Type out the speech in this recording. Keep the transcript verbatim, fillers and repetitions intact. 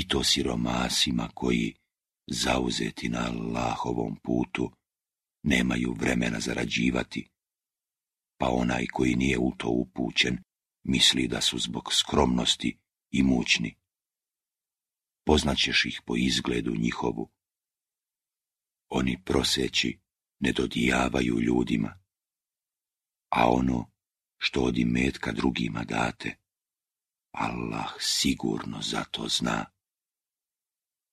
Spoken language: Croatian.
i to siromasima koji, zauzeti na Allahovom putu, nemaju vremena zarađivati, pa onaj koji nije u to upućen misli da su zbog skromnosti imućni. Poznaćeš ih po izgledu njihovu. Oni proseći ne dodijavaju ljudima, a ono što od imetka drugima date, Allah sigurno za to zna.